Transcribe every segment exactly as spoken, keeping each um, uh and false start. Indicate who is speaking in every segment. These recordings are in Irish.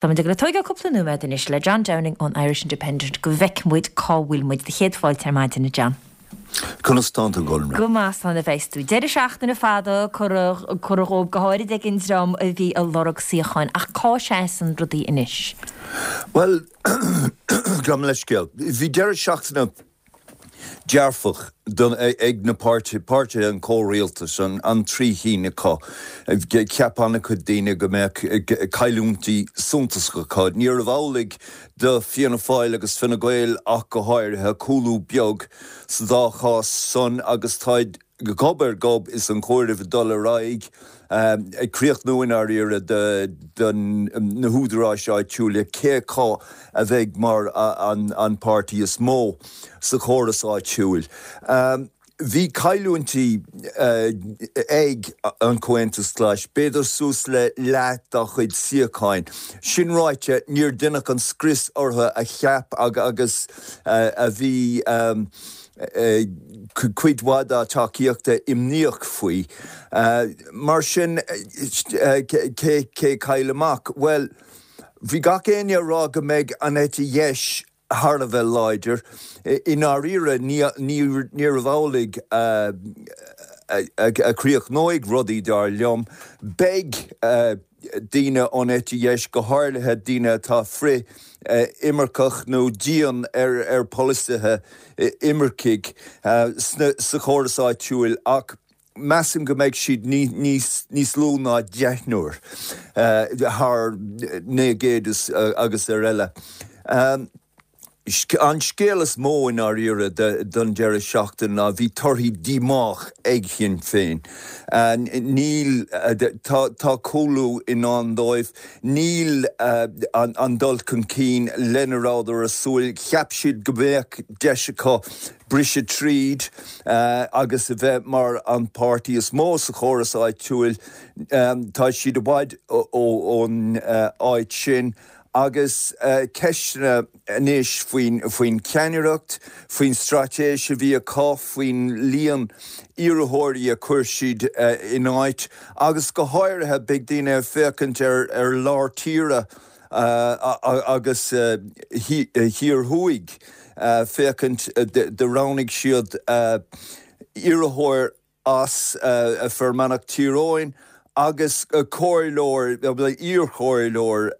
Speaker 1: Táimid ag tógáil cúpla nóiméad anois le John Downing ón Irish Independent go bhfeicfidh muid cá bhfuil muid do chéad fáilte ar maidin a John.
Speaker 2: Conas tánn tú Golra.
Speaker 1: Go maith a bheas tú. Deireadh seachtaine fada curtha dhóibh go háirid ag an dream a bhí ag lorg suíocháin ach cá seasann rudaí anois.
Speaker 2: Well gabh mo leithscéal. Bhí deireadh seachtaine dearfach don, ag na páirtithe an comhrialtas an, an trí cinn acu. Cheap an-chuid daoine go mbeadh cailliúintí suntasacha acu. Níorbh amhlaidh do Fianna Fáil agus Fine Gael ach go háirithe cúlú beag sa dá chás san agus táid gob ar gob is an comhaireamh dul ar aghaidh ag críochnú in áirithe de na húdaráis áitiúla cé acu a bheidh mar an, an páirtí is mó sa chóras áitiúil. Um, Bhí cailliúintí uh, ag an Comhaontas Glas, b'fhéidir suas le leath dá chuid suíocháin. Sin ráite níor deineadh an scrios orthu a cheap agus uh, a bhí um, uh, cuid mhaith dá tacaíochta imníoch faoi. Uh, mar sin uh, cé cé chaill amach? Well, bhí gach éinne ag rá go mbeidh an eite dheis thar a bheith láidir. I ndáiríre níorbh amhlaidh a chríochnóidh rudaí dar liom, Beidh daoine ón eite dheis go háirithe daoine atá frith-imirceach nó dian ar ar pholasaithe imircigh sa chóras áitiúil ach measaim go mbeidh siad níos níos lú ná deichniúr thar naoi gcéad agus ar eile. Um, An scéal is mó in áirithe don deireadh seachtaine ná bhí torthaí díomách ag Sinn Féin. Níl tá cúlú i ndán dóibh, níl an dul chun cinn lena rabhadar ag súil, cheap siad go mbeadh deis acu briseadh tríd agus a bheith mar an páirtí is mó sa chóras áitiúil, tá siad i bhfad ón áit sin. agus ceisteanna anois faoin faoin ceannaireacht, faoin straitéis a bhí acu, faoin líon iarrthóirí a chuir siad in áit, agus go háirithe beidh daoine ag féachaint ar ar lár tíre agus thiar thuaidh féachaint do roghnaigh siad iarrthóir as Fear Manach Tír Eoghain agus comhairleoir iarchomhairleoir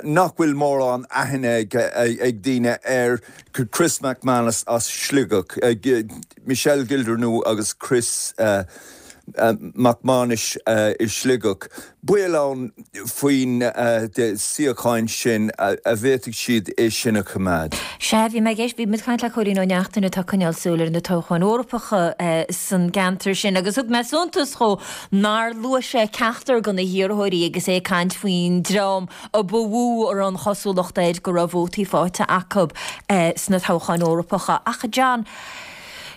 Speaker 2: nach bhfuil mórán aithne ag daoine ar Chris McManus as Sligeach, Michelle Gildernew agus Chris McManus i Sligeach. Baol ann faoin suíochán sin a bhféadfaidh siad é sin a choimeád.
Speaker 1: Sea, bhí mé ag éist, bhí muid ag caint le Cóilín Ó Neachtain atá ag coinneáil súil ar na toghcháin Eorpacha san gceantar sin agus thug mé suntas dhó nár luaigh sé ceachtar de na hiarrthóirí agus é ag caint faoin dream a ba mhó a raibh an chosúlacht air go raibh vótaí faighte acu sna toghcháin Eorpacha. Ach John,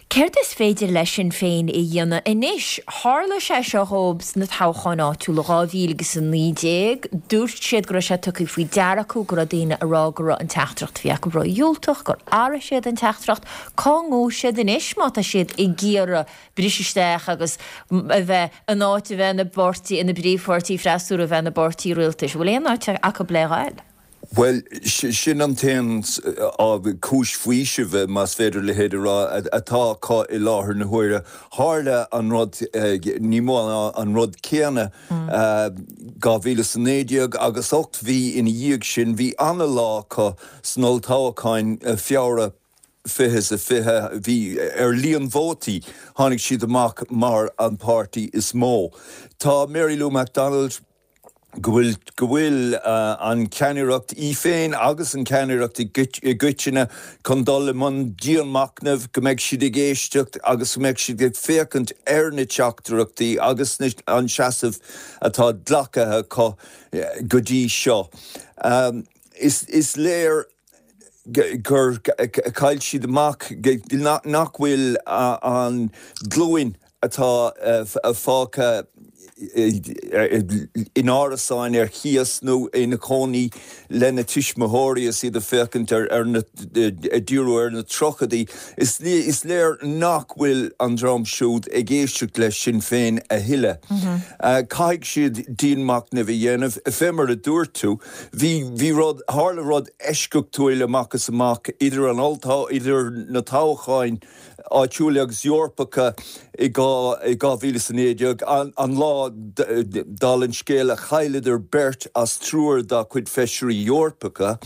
Speaker 1: Céard is féidir le Sinn Féin a dhéanamh anois? Tharla sé seo dhóibh sna toghcháin áitiúla dhá mhíle agus a naoi déag. Dúirt siad go raibh sé tugtha faoi deara acu go raibh daoine ag rá go raibh an teachtaireacht a bhí acu ródhiúltach, gur athraigh siad an teachtaireacht. Cá ngabhfaidh siad anois má tá siad ag iarraidh briseadh isteach agus a bheith in áit a bheith ina bpáirtí, ina bpríomhpháirtí freasúra, a bheith ina bpáirtí rialtais? An bhfuil aon áit acu le ghabháil?
Speaker 2: Bhuel, sin an t-aon cúis faoisimh, más féidir a leithéid a rá, atá acu i láthair na huaire. Tharla an rud, ní mó ná an rud céanna, dhá mhíle is a naoi déag agus ocht mhí ina dhiaidh sin, bhí ana-lá acu san olltoghchán, Feabhra fiche is a fiche, bhí ar líon vótaí, tháinig siad amach mar an páirtí is mó. Tá Mary Lou McDonald, go bhfuil go bhfuil an cheannaireacht í féin agus an cheannaireacht i gcoitinne chun dul i mbun dianmhachnaimh, go mbeidh siad ag éisteacht agus go mbeidh siad ag féachaint ar na teachtaireachtaí agus an seasamh atá glactha acu go dtí seo. Is is léir gur chaill siad amach nach bhfuil an ghlúin atá fágtha in árasáin ar chíos nó ina cónaí lena tuismitheoirí is iad ag féachaint ar ar na ag díriú ar na tríochaidí. Is is léir nach bhfuil an dream siúd ag éisteacht le Sinn Féin a thuilleadh. Caithfidh siad dianmhachnamh a dhéanamh. Fé mar a dúirt tú, bhí bhí rud tharla rud eisceachtúil amach is amach idir an olltoghchán idir na toghcháin áitiúla agus Eorpacha i dhá mhíle is a naoi déag, an lá dála an scéil a chailleadar beirt as triúr dá gcuid feisirí Eorpacha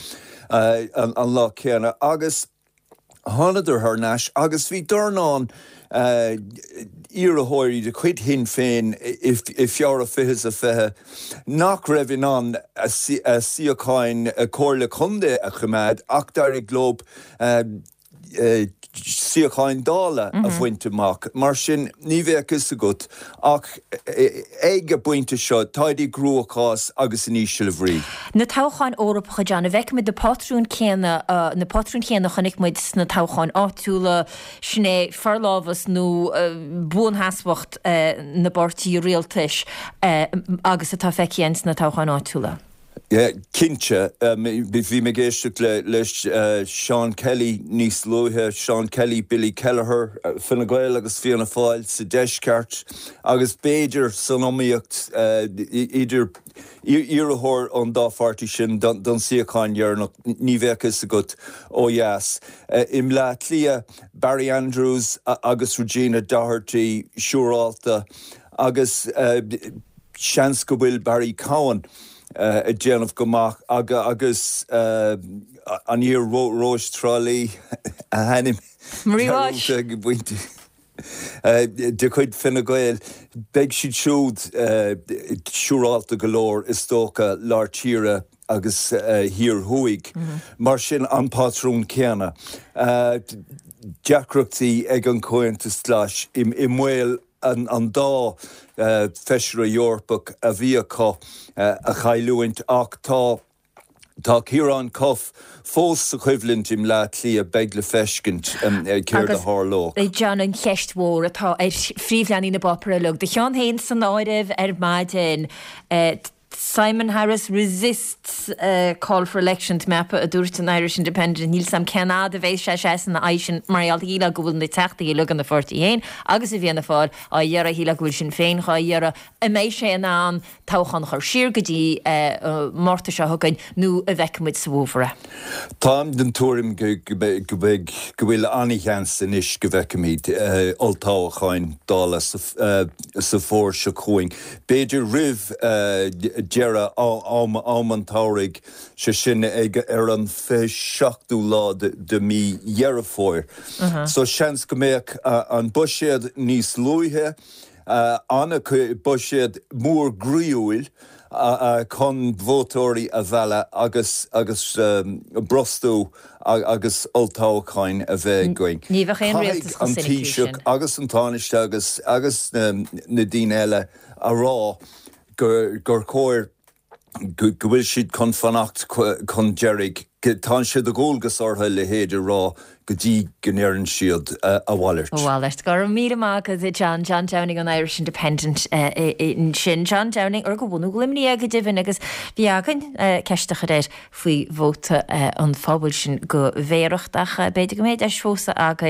Speaker 2: an lá céanna agus thánadar thar n-ais agus bhí dornán iarrthóirí de chuid Shinn Féin i Feabhra fiche is a fiche nach raibh in ann a suíocháin Comhairle Contae a choimeád ach d'éirigh leo suíocháin Dála a bhaint amach. Mar sin, ní bheadh fhios agat ach ag an bpointe seo, táid i gcruachás agus in ísle bhrí.
Speaker 1: Na toghcháin Eorpacha, John, an bhfeicfimid na pátrúin céanna, na pátrúin chéanna a chonaic muid sna toghcháin áitiúla, sin é forlámhas nó buansheasmhacht na bpáirtí rialtais agus atá feicthe againn sna toghcháin áitiúla?
Speaker 2: Cinnte. Bhí mé ag éisteacht le Seán Kelly níos luaithe, Seán Kelly, Billy Kelleher, Fine Gael agus Fianna Fáil sa deisceart agus b'fhéidir san iomaíocht idir iarrthóir ón dá pháirtí sin don suíochán deireanach, ní bheadh fhios agat ó dheas. I mBleá Cliath, Barry Andrews agus Regina Doherty siúrálta agus seans go bhfuil Barry Cowen ag déanamh go maith agus an iar Róis Trá Lí a hainm
Speaker 1: Marie Walsh
Speaker 2: de chuid Fine Gael, beidh siad siúd siúrálta go leor is dócha lár tíre agus thiar thuaidh. Mar sin an patrún céanna. Deacrachtaí ag an Comhaontas Glas i mbaol an dá feisire Eorpach a bhí acu a chailliúint ach tá tá Ciarán Cuffe fós sa choimhlint i mBleá Cliath, beidh le feiscint céard a tharlódh.
Speaker 1: Agus John an cheist mhór atá ar phríomhleathanaigh na bpáipéar uilig, do cheann féin san áireamh ar maidin, Simon Harris resists call for election tá mé ag ceapadh a dúirt an Irish Independent. Níl 's a'm cén fhad a bheidh sé seasamh ina aghaidh sin mar gheall shílfeá go bhfuil na teachtaí uilig ina pháirtí féin agus i bhFianna Fáil á iarraidh, shílfeá go bhfuil Sinn Féin dhá iarraidh. An mbeidh sé in ann toghchán a chur siar go dtí Márta seo chugainn nó an bhfeicfidh muid sa bhfómhar é?
Speaker 2: Táim den tuairim go mbeidh, go bhfuil an-sheans anois go bhfeicfimid olltoghcháin Dála sa bhfómhar seo chugainn, b'fhéidir roimh deireadh am an tsamhraidh, sé sin ag ar an fiche seachtú lá de mí Dheireadh Fómhair. So seans go mbeadh an buiséad níos luaithe, an-buiséad mór groíúil chun vótóirí a mhealladh agus agus brostú agus olltoghcháin a bheith againn.
Speaker 1: Ní bheadh aon rialtas
Speaker 2: chomh soiniciúil sin. Caithfidh an Taoiseach agus an Tánaiste agus agus na daoine eile a rá gur gur chóir go bhfuil siad chun fanacht chun deiridh. Tá sé de dhualgas orthu a leithéid a rá go dtí go ndeireann siad a mhalairt.
Speaker 1: A mhalairt. Go raibh míle maith agat, John. John Downing ón Irish Independent ansin. John Downing, ar de bhunadh Luimnigh é go deimhin agus bhí againn ceist a chur air faoi vóta an phobail sin go Bhéireacht ach b'fhéidir go mbeidh deis fós againn.